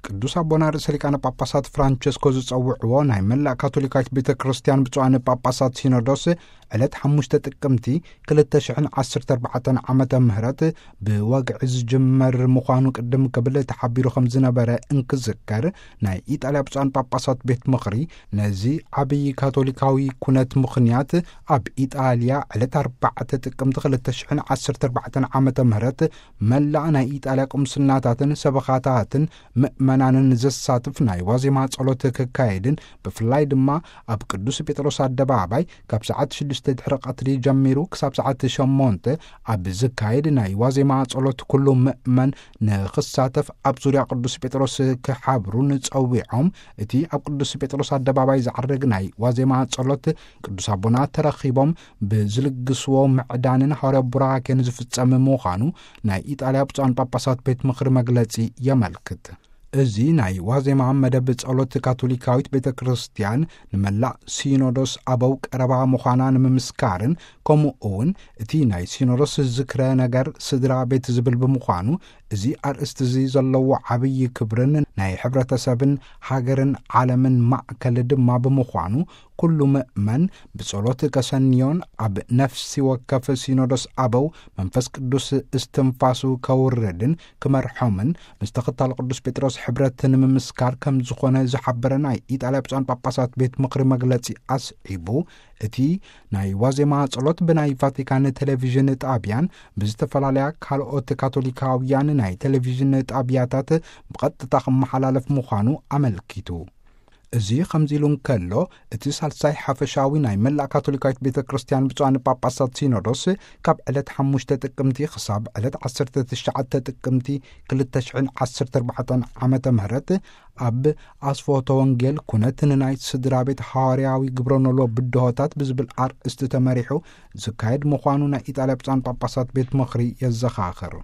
ቅዱስ ኣቦና ርእሰ ሊቃነ ጳጳሳት ፍራንቸስኮ ዝጸውዕዎ ናይ መላእ ካቶሊካዊት ቤተ ክርስቲያን ብፁዓን ጳጳሳት ሲኖዶስ ዕለት ሓሙሽተ ጥቅምቲ ክልተ ሽሕን ዓሰርተ ኣርባዕተን ዓመተ ምህረት ብወግዒ ዝጅመር ምዃኑ ቅድም ክብል ተሓቢሩ ከም ዝነበረ እንክዝከር፣ ናይ ኢጣልያ ብፁዓን ጳጳሳት ቤት ምኽሪ ነዚ ዓብዪ ካቶሊካዊ ኩነት ምኽንያት፣ ኣብ ኢጣልያ ዕለት ኣርባዕተ ጥቅምቲ ክልተ ሽሕን ዓሰርተ ኣርባዕተን ዓመተ ምህረት መላእ ናይ ኢጣልያ ቁምስናታትን ሰበኻታትን ምእመናንን ዘሳትፍ ናይ ዋዜማ ጸሎት ክካየድን፣ ብፍላይ ድማ ኣብ ቅዱስ ጴጥሮስ ኣደባባይ ካብ ሰዓት ሽዱሽተ ድሕሪ ቀትሪ ጀሚሩ ክሳብ ሰዓት ሸሞንተ ኣብ ዝካየድ ናይ ዋዜማ ጸሎት ኩሉ ምእመን ንኽሳተፍ ኣብ ዙርያ ቅዱስ ጴጥሮስ ክሓብሩን ጸዊዖም፣ እቲ ኣብ ቅዱስ ጴጥሮስ ኣደባባይ ዝዓርግ ናይ ዋዜማ ጸሎት ቅዱስ ኣቦና ተረኺቦም ብዝልግስዎ ምዕዳንን ሃዋርያ ቡራኬን ዝፍጸም ምዃኑ ናይ ኢጣልያ ብፁዓን ጳጳሳት ቤት ምኽሪ መግለጺ የመልክት። እዚ ናይ ዋዜማ መደብ ጸሎት ካቶሊካዊት ቤተ ክርስቲያን ንመላእ ሲኖዶስ ኣበው ቀረባ ምዃና ንምምስካርን፣ ከምኡ እውን እቲ ናይ ሲኖዶስ ዝክረ ነገር ስድራ ቤት ዝብል ብምዃኑ፣ እዚ ኣርእስቲ እዚ ዘለዎ ዓብዪ ክብርን ናይ ሕብረተሰብን ሃገርን ዓለምን ማእከል ድማ ብምዃኑ፣ ኩሉ ምእመን ብጸሎት ከሰንዮን ኣብ ነፍሲ ወከፍ ሲኖዶስ ኣበው መንፈስ ቅዱስ እስትንፋሱ ከውርድን ክመርሖምን፣ ምስ ተኸታሊ ቅዱስ ጴጥሮስ ሕብረት ንምምስካር ከም ዝኾነ ዝሓበረ ናይ ኢጣልያ ብፁዓን ጳጳሳት ቤት ምኽሪ መግለጺ ኣስዒቡ፣ እቲ ናይ ዋዜማ ጸሎት ብናይ ቫቲካን ቴሌቪዥን ጣቢያን ብዝተፈላለያ ካልኦት ካቶሊካውያን ናይ ቴሌቪዥን ጣቢያታት ብቐጥታ ክመሓላለፍ ምዃኑ ኣመልኪቱ። እዚ ከምዚ ኢሉ እንከሎ፣ እቲ ሳልሳይ ሓፈሻዊ ናይ መላእ ካቶሊካዊት ቤተ ክርስቲያን ብፁዓን ጳጳሳት ሲኖዶስ ካብ ዕለት ሓሙሽተ ጥቅምቲ ክሳብ ዕለት ዓሰርተ ትሽዓተ ጥቅምቲ ክልተ ሽሕን ዓሰርተ ኣርባዕተን ዓመተ ምህረት ኣብ ኣስፎቶ ወንጌል ኩነት ንናይ ስድራ ቤት ሃዋርያዊ ግብረ ኖሎ ብድሆታት ብዝብል ኣርእስቲ ተመሪሑ ዝካየድ ምዃኑ ናይ ኢጣልያ ብፁዓን ጳጳሳት ቤት ምኽሪ የዘኻኽር።